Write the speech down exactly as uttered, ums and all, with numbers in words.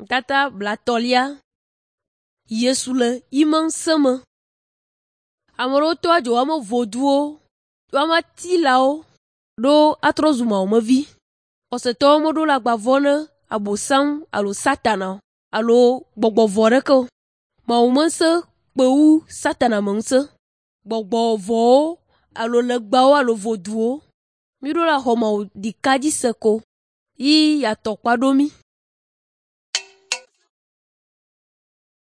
Tata blatolia Yesu le iman seme. Amoro to ajo amo voduo, to ama tilao, do atrozuma omevi. Oseto modo la gbavone abosam alo satana alo gbogbo voreko. Ma umense peu satana mense. Gbogbo vo alo legbao alo voduo. Mido la homa di kaji seko. Yi ya tokpa domi.